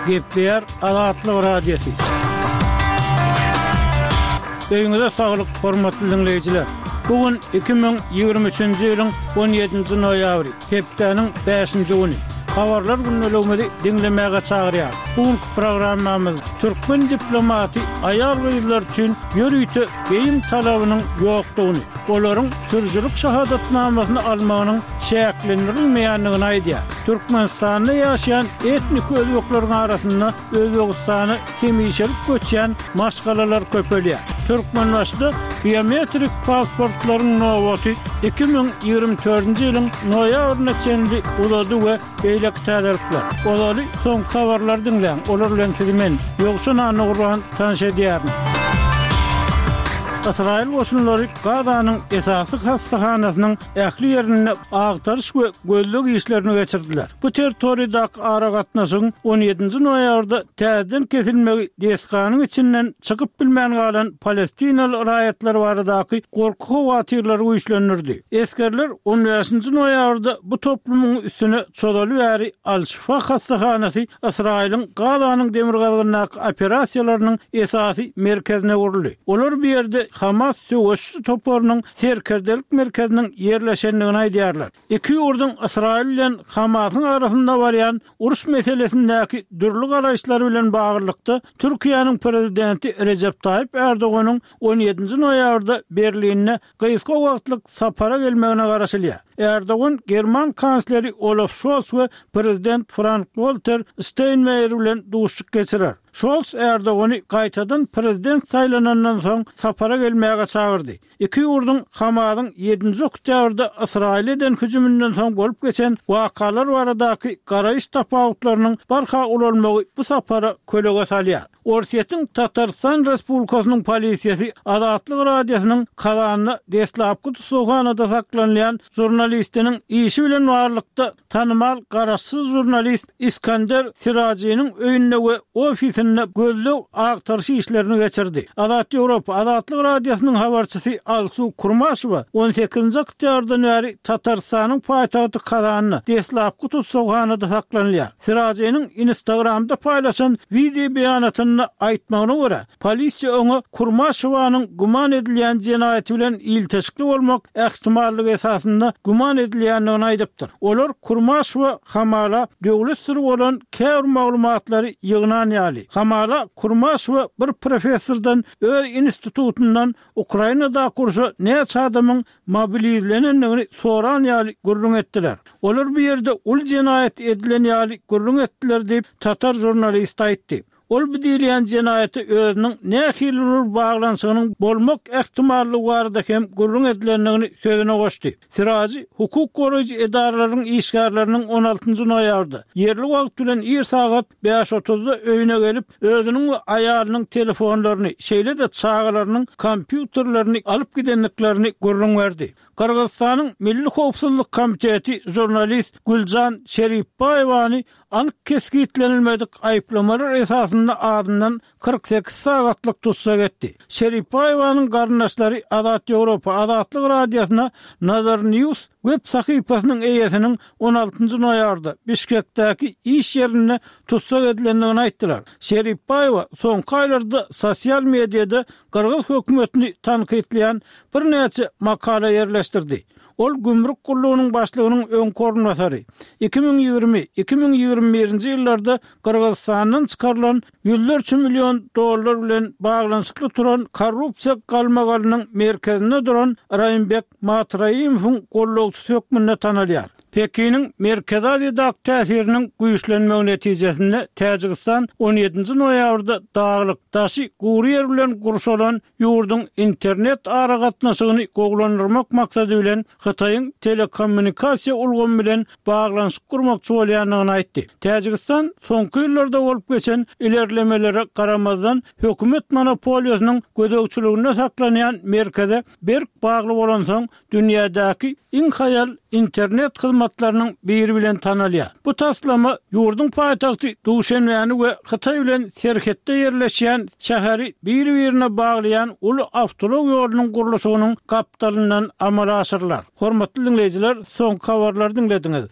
Gepleýär Azatlyk Radiosy. Öýüňize saglyk, hormatly diňleýjiler! Bu gün 2023-nji ýylyň 17-nji noýabry, hepdäniň bäşinji güni. Habarlar gündeligimizi diňlemäge çagyrýar. Bu günki programmamyz türkmen diplomaty aýal-gyzlar üçin ýörite geýim talabynyň ýokdugyny, olaryň sürüjilik şahadatnamasyny almagynyň çäklendirilmeýändigini aýdýar. Türkmenistanda ýaşaýan etniki özbekleriň arasynda Özbegistana hemişelik göçýän maşgalalar köpelýär. Türkmenbaşyda biometrik pasportlaryň nobaty 2024-nji ýylyň noýabryna çenli uzady we beýleki täzelikler. Ozaly soňky habarlary diňläň, olar bilen sizi men, Ýowşan Annagurban tanyş edýärin. Ysraýyl goşunlary Gazanyň esasy hassahanasynyň ähli ýerinde agtaryş we gözleg işlerini geçirdiler. Bu territoriýadaky aragatnaşygyň on ýedinji noýabrda täzeden kesilmegi desganyň içinden çykyp bilmän galan palestinaly raýatlar baradaky gorky-howatyrlary güýçlendirdi. Esgerler on bäşinji noýabrda bu toplumyň üstüne çozaly bäri Al-Şifa hassahanasy Ysraýylyň Gazanyň demirgazygyndaky operasiýalarynyň esasy merkezine öwrüldi. Olar bu ýerde Hamas söweşiji toparynyň serkerdelik merkeziniň ýerleşendigini aýdýarlar. Iki ýurduň Ysraýyl bilen Hamasyň arasynda barýan uruş meselesindäki dürli garaýyşlary bilen baglylykda, Türkiýäniň Prezidenti Rejep Taýyp Ärdoganyň on ýedinji noýabrda Berlinde gysga wagtlyk sapara gelmegine garaşylýar. Ärdogan german kansleri Olaf Şols we Prezident Frank-Walter Şteýnmeýer bilen duşuşyk geçirer. Şols Ärdogany gaýtadan prezident saýlanandan soň sapara gelmäge çagyrdy. Iki ýurduň Hamasyň ýedinji oktýabrda Ysraýyla eden hüjüminden soň bolup geçen wakalar baradaky garaýyş tapawutlarynyň barha ulalmagy bu sapara kölege salýar. Orsýetiň Tatarystan Respublikasynyň polisiýasy Azatlyk Radiosynyň Kazanda deslapky tussaghanada saklanylýan žurnalistiniň işi bilen baglylykda Tanymal garaşsyz žurnalist Iskander Sirajynyň öýünde we ofisinde gözleg-agtaryş işlerini geçirdi. Azat Ýewropa, Azatlyk Radiosynyň habarçysy Alsu Kurmaşewa on sekizinji oktýabrdan bäri Tatarystanyň paýtagty Kazanda deslapky tussaghanada saklanylýar. Sirajynyň Instagramda paýlaşan wideo beýanatynda aýtmagyna görä, Polisiýa oňa Kurmaşewanyň güman edilýän jenaýaty bilen ilteşikli bolmak ähtimallygy esasynda güman edilýändigini aýdypdyr. Olar Kurmaşewa hamala döwlet syry bolan käbir maglumatlary ýygnan ýaly. Hamala Kurmaşewa bir professordan öz institutyndan Ukrainadaky urşa näçe adamyň mobilizlenendigini soran ýaly gürrüň etdiler. Olar bu ýerde uly jenaýat edilen ýaly gürrüň etdiler diýip, tatar žurnalisti aýtdy. Ol bu diýilýän jenaýata özüniň nähili bir baglanyşygynyň bolmak ähtimallygy barada hem gürrüň edilendigini sözüne goşdy. Sirajy hukuk goraýjy edaralaryň işgärleriniň on altynjy noýabrda, ýerli wagt bilen ir sagat bäş otuzda öýüne gelip, özüniň we aýalynyň telefonlaryny, şeýle-de çagalarynyň kompýuterlerini alyp gidendiklerini gürrüň berdi. Gyrgyzystanyň Milli howpsuzlyk komiteti žurnalist Güljan Şeripbaýewany anyk kesgitlenilmedik aýyplamalar esasynda azyndan 48 sagatlyk tussag etdi. Şeripbaýewanyň garyndaşlary Azat Ýewropa Azatlyk Radiosyna Nazar News web sahypasynyň eýesiniň on altynjy noýabrda Bişkekdäki iş ýerinde tussag edilendigini aýtdylar. Şeripbaýewa soňky aýlarda sosial mediada gyrgyz hökümetini tankytlaýan birnäçe makala ýerleşdirdi. Ol gümrük gullugynyň başlygynyň öňki orunbasary, 2020, 2021-nji ýyllarda Gyrgyzystandan çykarylan ýüzlerçe million dollar bilen baglanyşykly turan korrupsiýa galmagalynyň merkezinde duran Raýymbek Matraimowyň gollagçysy hökmünde tanalýar. Pekiniň Merkezi Aziýadaky täsiriniň güýçlenmegi netijesinde Täjigistan on ýedinji noýabrda daglyk, daşy gury ýer bilen gurşalan ýurduň internet aragatnaşygyny gowulandyrmak maksady bilen Hytaýyň telekommunikasiýa ulgamy bilen baglanyşyk gurmakçy bolýandygyny aýtdy. Täjigistan soňky ýyllarda bolup geçen ilerlemelere garamazdan, hökümet monopoliýasynyň gözegçiliginde saklanýan merkeze berk bagly bolansoň, dünýädäki iň haýal internet hyzmatlarynyň biri bilen tanalýar. Bu taslama ýurduň paýtagty Duşenbäni we Hytaý bilen serhetde ýerleşýän şäheri bir-birine baglaýan uly awtoulag ýolunyň gurluşygynyň gapdalyndan amala aşyrylar. Hormatly diňleýjiler, soňky habarlary diňlediňiz.